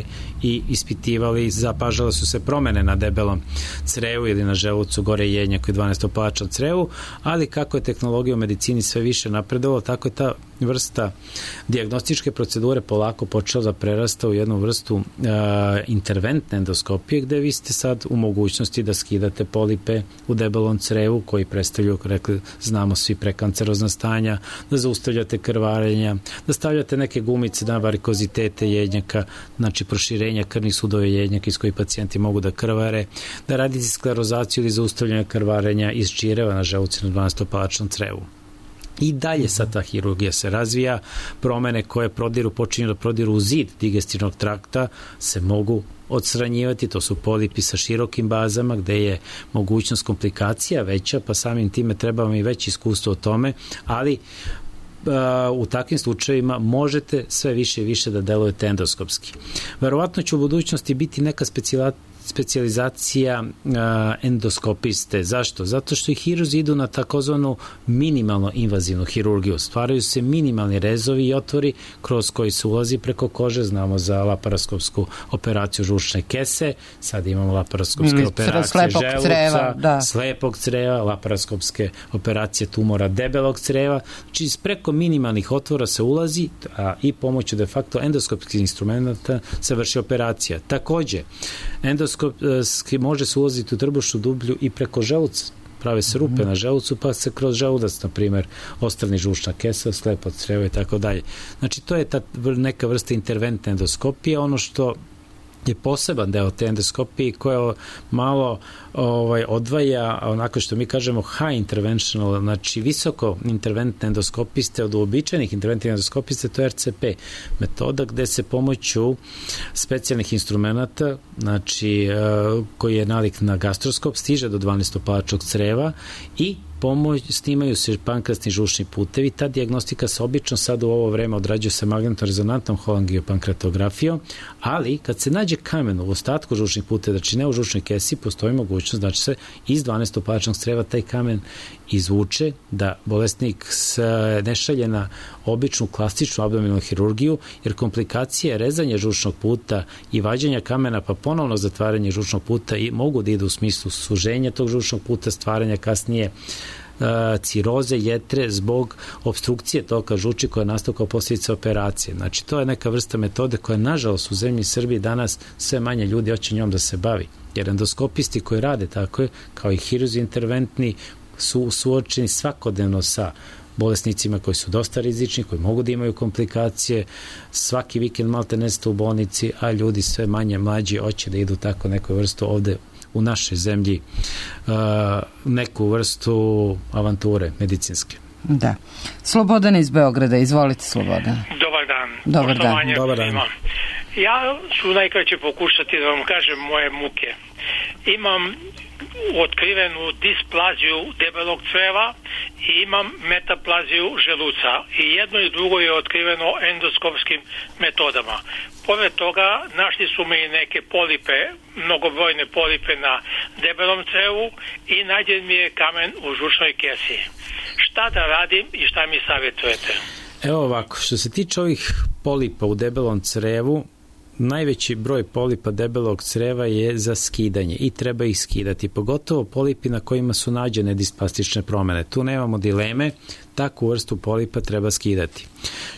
[SPEAKER 2] i ispitivali, zapažale su se promene na debelom crevu ili na želucu, gore jednjako i 12-palačnom crevu, ali kako je tehnologija u medicini sve više napredovala, tako je ta vrsta dijagnostičke procedure polako počela da prerasta u jednu vrstu interventne endoskopije gde vi ste sad u mogućnosti da skidate polipe u debelom crevu koji predstavljaju, rekli, znamo svi, prekancerozna stanja, da zaustavljate krvarenja, da stavljate neke gumice na varikozitete jednjaka, znači proširenja krvnih sudova jednjaka iz kojih pacijenti mogu da krvare, da radite sklerozaciju ili zaustavljanje krvarenja iz čireva na želucu na 12-palačnom crevu. I dalje sad ta hirurgija se razvija, promene koje počinju da prodiru u zid digestivnog trakta se mogu odstranjivati, to su polipi sa širokim bazama gde je mogućnost komplikacija veća, pa samim time treba vam i veće iskustvo o tome, ali u takvim slučajevima možete sve više i više da delujete endoskopski. Verovatno će u budućnosti biti neka specijalizacija endoskopiste. Zašto? Zato što i hirurzi idu na takozvanu minimalno invazivnu hirurgiju. Stvaraju se minimalni rezovi i otvori kroz koji se ulazi preko kože. Znamo za laparoskopsku operaciju žučne kese, sad imamo laparoskopske operacije želuca, slepog creva, laparoskopske operacije tumora debelog creva. Znači, preko minimalnih otvora se ulazi i pomoću de facto endoskopskih instrumenta se vrši operacija. Takođe, endoskopski može se ulaziti u trbušnu dublju i preko želuca. Prave se rupe na želucu, pa se kroz želudac, na primjer, ostrani žučna kesa, slepo crevo i tako dalje. Znači, to je ta neka vrsta interventne endoskopije. Ono što je poseban deo te endoskopije koja malo odvaja, onako što mi kažemo high interventional, znači visoko interventne endoskopiste od uobičajenih interventnih endoskopiste, to je RCP metoda gde se pomoću specijalnih instrumenta, znači koji je nalik na gastroskop, stiže do 12-palačnog creva i snimaju se pankrasni žučni putevi. Ta dijagnostika se obično sad u ovo vreme odrađuje sa magnetno-rezonantnom holangiopankreatografijom, ali kad se nađe kamen u ostatku žučnih puteva, znači ne u žučnoj kesi, postoji mogućnost da će se iz 12-palačnog creva taj kamen izvuče, da bolesnik se ne šalje na običnu klasičnu abdominalnu hirurgiju, jer komplikacije rezanja žučnog puta i vađenja kamena pa ponovno zatvaranje žučnog puta i mogu da idu u smislu suženja tog žučnog puta, stvaranja kasnije ciroze jetre zbog obstrukcije toka žuči koja nastao kao posljedica operacije. Znači, to je neka vrsta metode koja, nažalost, u zemlji Srbiji danas sve manje ljudi hoće njom da se bavi. Jer endoskopisti koji rade tako je, kao i hirurzi interventni, su suočeni svakodnevno sa bolesnicima koji su dosta rizični, koji mogu da imaju komplikacije, svaki vikend malte neste u bolnici, a ljudi sve manje mlađi hoće da idu tako neku vrstu ovde u našoj zemlji, neku vrstu avanture medicinske.
[SPEAKER 1] Da. Slobodan iz Beograda, izvolite Slobodan.
[SPEAKER 17] Dobar dan.
[SPEAKER 1] Dobar dan.
[SPEAKER 2] Dobar dan.
[SPEAKER 17] Ja ću najkraće pokušati da vam kažem moje muke. Imam otkrivenu displaziju debelog creva i imam metaplaziju želuca. I jedno i drugo je otkriveno endoskopskim metodama. Pored toga našli su mi neke polipe, mnogobrojne polipe na debelom crevu i nađen mi je kamen u žučnoj kesi. Šta da radim i šta mi savjetujete?
[SPEAKER 2] Evo ovako, što se tiče ovih polipa u debelom crevu, najveći broj polipa debelog creva je za skidanje i treba ih skidati, pogotovo polipi na kojima su nađene displastične promene. Tu nemamo dileme, takvu vrstu polipa treba skidati.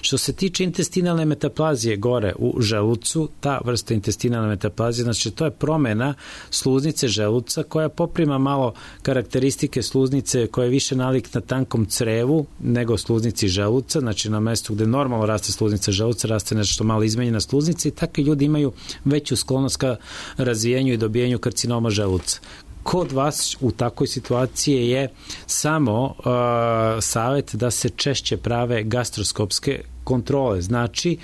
[SPEAKER 2] Što se tiče intestinalne metaplazije gore u želucu, ta vrsta intestinalne metaplazije, znači to je promena sluznice želuca koja poprima malo karakteristike sluznice koja je više nalik na tankom crevu nego sluznici želuca, znači na mestu gde normalno raste sluznica želuca, raste nešto malo izmenjena sluznica i takvi ljudi imaju veću sklonost ka razvijenju i dobijenju karcinoma želuca. Kod vas u takvoj situaciji je samo savjet da se češće prave gastroskopske kontrole. Znači,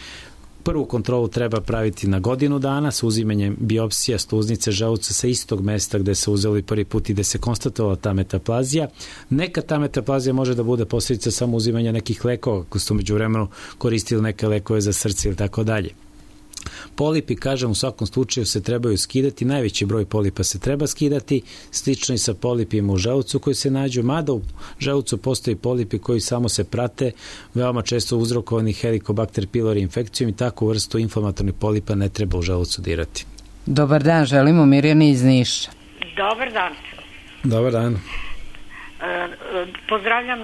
[SPEAKER 2] prvu kontrolu treba praviti na godinu dana sa uzimanjem biopsija sluznice želuca sa istog mesta gde se uzeli prvi put i gde se konstatovala ta metaplazija. Neka ta metaplazija može da bude posljedica samo uzimanja nekih lekova, ako ste umeđu vremenu koristili neke lekove za srce ili tako dalje. Polipi, kažem, u svakom slučaju se trebaju skidati, najveći broj polipa se treba skidati, slično i sa polipima u želucu koji se nađu, mada u želucu postoji polipi koji samo se prate, veoma često uzrokovani Helicobacter pylori infekcijom i takvu vrstu inflamatornih polipa ne treba u želucu dirati.
[SPEAKER 1] Dobar dan, želimo Mirjani iz Niša.
[SPEAKER 18] Dobar dan.
[SPEAKER 2] Dobar dan.
[SPEAKER 18] Pozdravljam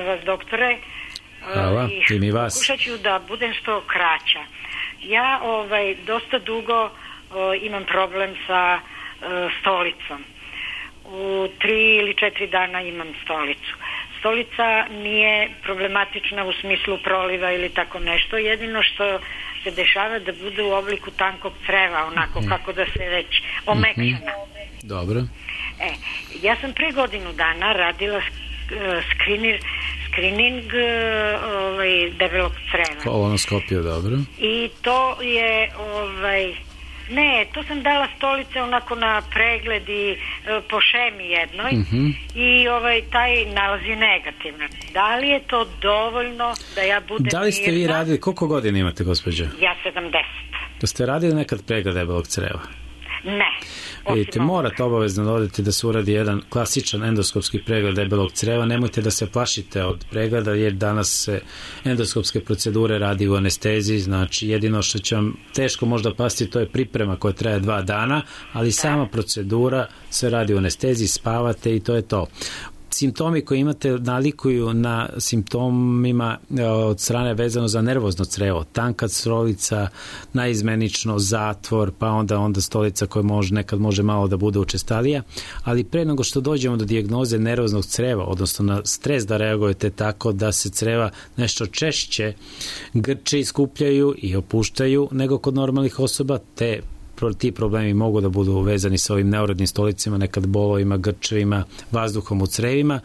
[SPEAKER 18] vas, doktore.
[SPEAKER 2] Hvala, i mi vas.
[SPEAKER 18] Pokušat ću da budem što kraća. Ja dosta dugo imam problem sa stolicom. U 3 ili 4 dana imam stolicu. Stolica nije problematična u smislu proliva ili tako nešto. Jedino što se dešava da bude u obliku tankog creva, onako kako da se već omekšana.
[SPEAKER 2] Dobro.
[SPEAKER 18] Ja sam pre godinu dana radila screening debelog creva.
[SPEAKER 2] Kolonoskopiju, dobro.
[SPEAKER 18] I to je to sam dala stolice onako na pregled i po šemi jednoj i taj nalaz je negativan. Da li je to dovoljno da ja budem mirna?
[SPEAKER 2] Da li ste vi radili, koliko godina imate, gospođo?
[SPEAKER 18] Ja 70.
[SPEAKER 2] Da ste radili nekad pregled debelog creva?
[SPEAKER 18] Ne.
[SPEAKER 2] Vidite, morate obavezno dodati da se uradi jedan klasičan endoskopski pregled debelog creva. Nemojte da se plašite od pregleda, jer danas se endoskopske procedure radi u anesteziji, znači jedino što će vam teško možda pasti to je priprema koja traje 2 dana, ali sama procedura se radi u anesteziji, spavate i to je to. Simptomi koji imate nalikuju na simptomima od strane vezano za nervozno crevo. Tanka stolica, naizmenično zatvor, pa onda stolica koja nekad može malo da bude učestalija, ali pre nego što dođemo do dijagnoze nervoznog creva, odnosno na stres da reagujete tako da se creva nešto češće grče, iskupljaju i opuštaju nego kod normalnih osoba, ti problemi mogu da budu vezani sa ovim neurodnim stolicima, nekad bolovima, grčevima, vazduhom u crevima.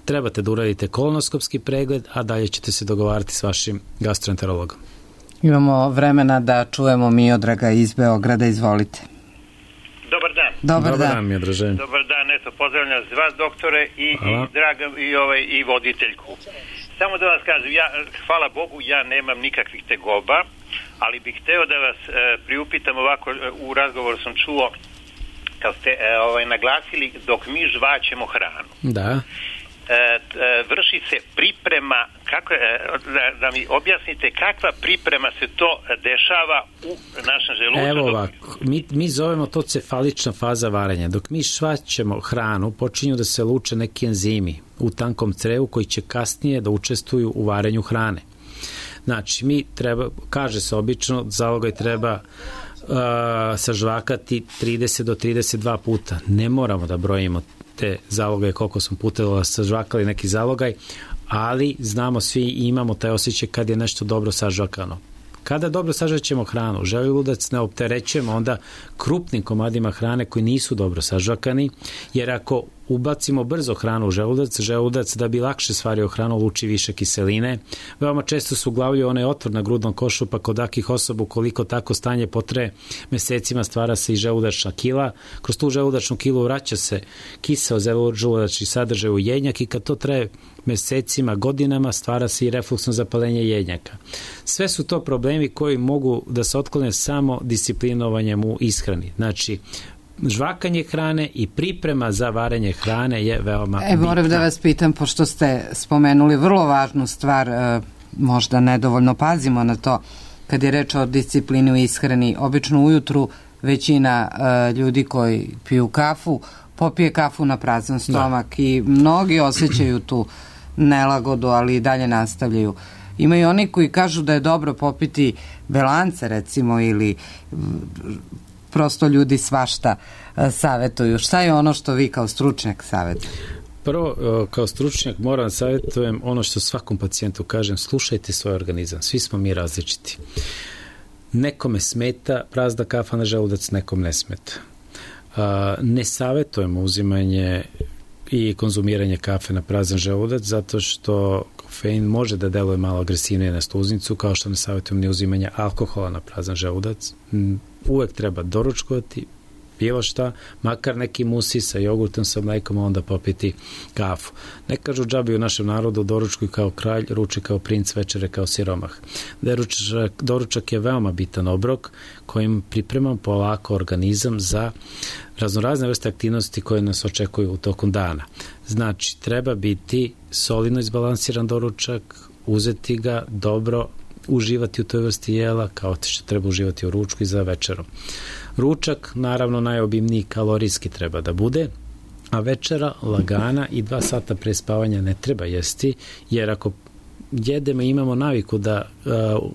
[SPEAKER 2] Trebate da uradite kolonoskopski pregled, a dalje ćete se dogovarati s vašim gastroenterologom.
[SPEAKER 1] Imamo vremena da čujemo Miodraga iz Beograda, izvolite.
[SPEAKER 19] Dobar dan.
[SPEAKER 1] Dobar dan,
[SPEAKER 2] Miodraže.
[SPEAKER 19] Dobar dan, pozdravljam vas, doktore, i voditeljku. Samo da vas kažem, hvala Bogu, ja nemam nikakvih tegoba, ali bih hteo da vas priupitam ovako, u razgovoru sam čuo kad ste naglasili dok mi žvaćemo hranu.
[SPEAKER 2] Da.
[SPEAKER 19] vrši se priprema, da mi objasnite kakva priprema se to dešava u našem želucu?
[SPEAKER 2] Evo ovako, mi zovemo to cefalična faza varenja. Dok mi švaćemo hranu, počinju da se luče neki enzimi u tankom crevu koji će kasnije da učestvuju u varenju hrane. Znači, kaže se obično, zalogaj treba sažvakati 30 do 32 puta. Ne moramo da brojimo te zalogaje koliko smo puta sažvakali neki zalogaj, ali znamo svi i imamo taj osjećaj kad je nešto dobro sažvakano. Kada dobro sažvaćemo hranu, želudac ne opterećujemo onda krupnim komadima hrane koji nisu dobro sažvakani, jer ako ubacimo brzo hranu u želudac da bi lakše stvario hranu luči više kiseline. Veoma često se uglavljuje onaj otvor na grudnom košu, pa kod takih osoba ukoliko tako stanje potraje mesecima stvara se i želudačna kila. Kroz tu želudačnu kilu vraća se kiseo želudačni sadržaj u jednjak i kad to traje mesecima, godinama stvara se i refluksno zapalenje jednjaka. Sve su to problemi koji mogu da se otklone samo disciplinovanjem u ishrani. Znači, žvakanje hrane i priprema za varenje hrane je veoma bitna.
[SPEAKER 1] Moram da vas pitam, pošto ste spomenuli vrlo važnu stvar, možda nedovoljno pazimo na to, kad je reč o disciplini u ishrani. Obično ujutru većina ljudi koji piju kafu, popije kafu na prazan stomak i mnogi osjećaju tu nelagodu, ali i dalje nastavljaju. Ima i oni koji kažu da je dobro popiti belance, recimo, ili prosto ljudi svašta savjetuju. Šta je ono što vi kao stručnjak savjetujete?
[SPEAKER 2] Prvo, kao stručnjak moram savjetujem ono što svakom pacijentu kažem, slušajte svoj organizam, svi smo mi različiti. Nekome smeta prazna kafa na želudac, nekom ne smeta. Ne savjetujemo uzimanje i konzumiranje kafe na prazan želudac zato što kofein može da deluje malo agresivnije na sluznicu, kao što ne savjetujem ni uzimanje alkohola na prazan želudac. Uvek treba doručkovati bilo šta, makar neki musi sa jogurtom, sa mlekom, a onda popiti kafu. Ne kažu džabi u našem narodu doručkuj kao kralj, ruči kao princ, večere kao siromah. Doručak je veoma bitan obrok kojim pripremam polako organizam za raznorazne vrste aktivnosti koje nas očekuju u tokom dana. Znači, treba biti solidno izbalansiran doručak, uzeti ga dobro, uživati u toj vrsti jela kao što treba uživati u ručku i za večerom. Ručak, naravno, najobimniji kalorijski treba da bude, a večera lagana i 2 sata pre spavanja ne treba jesti, jer ako jedemo i imamo naviku da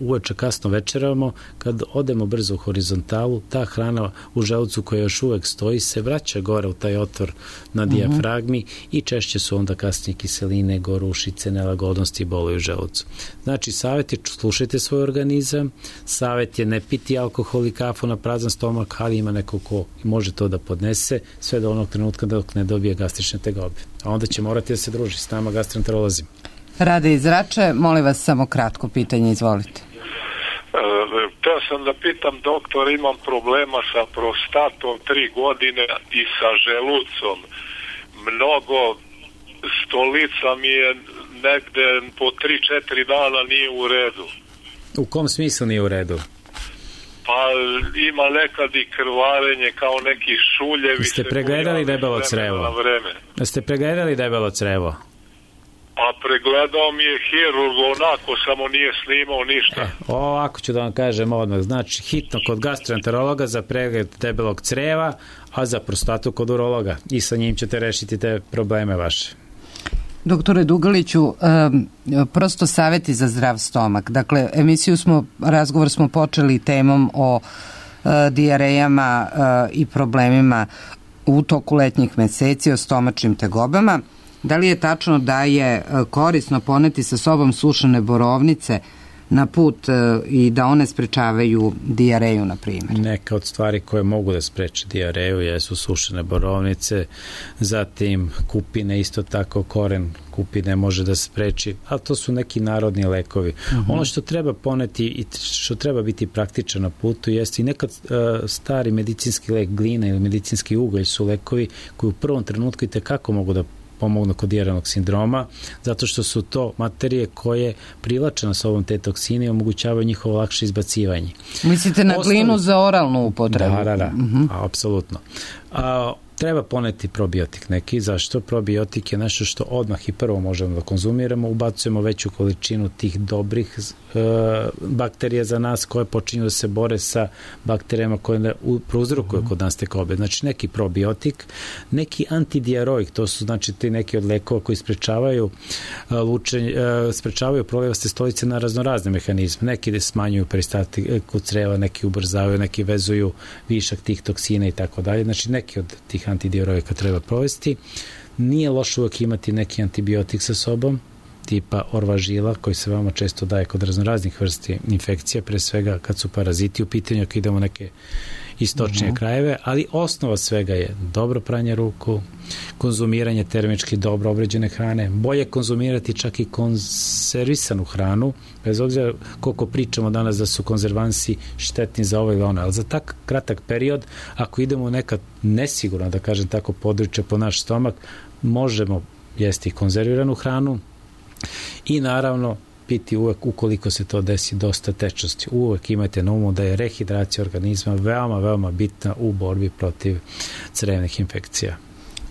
[SPEAKER 2] uveče kasno večeramo, kad odemo brzo u horizontalu, ta hrana u želucu koja još uvek stoji se vraća gore u taj otvor na dijafragmi i češće su onda kasnije kiseline, gorušice, nelagodnosti i bolovi u želucu. Znači, savjet je slušajte svoj organizam, savjet je ne piti alkohol i kafu na prazan stomak, ali ima neko ko može to da podnese sve do onog trenutka dok ne dobije gastrične tegobe. A onda će morati da se druži s nama gastroenterolozima.
[SPEAKER 1] Rade iz Rače, molim vas samo kratko pitanje, izvolite.
[SPEAKER 3] Htio sam da pitam, doktor, imam problema sa prostatom 3 godine i sa želucom. Mnogo stolica mi je negde po 3-4 dana nije u redu.
[SPEAKER 2] U kom smislu nije u redu?
[SPEAKER 3] Pa ima nekad i krvarenje kao neki šuljevi.
[SPEAKER 2] Ste pregledali debelo crevo? Ste pregledali debelo crevo?
[SPEAKER 3] Pa pregledao mi je hirurg, onako samo nije snimao ništa.
[SPEAKER 2] Ovako ću da vam kažem odmah. Znači, hitno kod gastroenterologa za pregled debelog creva, a za prostatu kod urologa. I sa njim ćete rešiti te probleme vaše.
[SPEAKER 1] Doktore Dugaliću, prosto savjeti za zdrav stomak. Dakle, razgovor smo počeli temom o dijarejama i problemima u toku letnjih meseci, o stomačnim tegobama. Da li je tačno da je korisno poneti sa sobom sušene borovnice na put i da one sprečavaju dijareju, na primjer?
[SPEAKER 2] Neka od stvari koje mogu da spreče dijareju jesu sušene borovnice, zatim kupine, isto tako koren kupine može da spreči, ali to su neki narodni lekovi. Ono što treba poneti i što treba biti praktično na putu jeste i nekad stari medicinski lek, glina ili medicinski ugalj su lekovi koji u prvom trenutku i tekako mogu da pomognu kod dijarenog sindroma, zato što su to materije koje privlače na sobom te toksine i omogućavaju njihovo lakše izbacivanje.
[SPEAKER 1] Mislite na glinu za oralnu upotrebu?
[SPEAKER 2] Da, apsolutno. Treba poneti probiotik neki. Zašto? Probiotik je nešto što odmah i prvo možemo da konzumiramo, ubacujemo veću količinu tih dobrih bakterija za nas koje počinju da se bore sa bakterijama koje prouzrokuju kod nas tegobe. Znači neki probiotik, neki antidiaroik, to su znači ti neki od lekova koji sprečavaju prolivaste stolice na raznorazne mehanizme. Neki smanjuju peristatiku creva, neki ubrzavaju, neki vezuju višak tih toksina i tako dalje. Znači neki od tih antidiaroika treba provesti. Nije loše uvijek imati neki antibiotik sa sobom, tipa orvažila, koji se veoma često daje kod raznoraznih vrsti infekcija, pre svega kad su paraziti u pitanju, ako idemo neke istočnije krajeve, ali osnova svega je dobro pranje ruku, konzumiranje termički dobro obrađene hrane, bolje konzumirati čak i konzervisanu hranu, bez obzira koliko pričamo danas da su konzervansi štetni za ovo ili ono, ali za tak kratak period, ako idemo u neka nesigurna, da kažem tako, područje po naš stomak, možemo jesti konzerviranu hranu i naravno piti uvek, ukoliko se to desi, dosta tečnosti. Uvek imajte na umu da je rehidracija organizma veoma, veoma bitna u borbi protiv crevnih infekcija.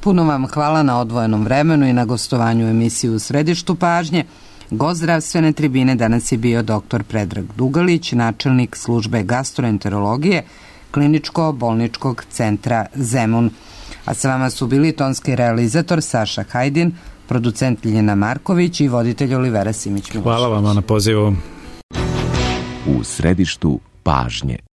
[SPEAKER 1] Puno vam hvala na odvojenom vremenu i na gostovanju emisiji U središtu pažnje. Gost zdravstvene tribine danas je bio dr. Predrag Dugalić, načelnik službe gastroenterologije Kliničko-bolničkog centra Zemun. A sa vama su bili tonski realizator Saša Hajdin, producent Ljiljana Marković i voditelj Olivera Simić-Milošević.
[SPEAKER 2] Hvala vam na pozivu.
[SPEAKER 9] U središtu pažnje.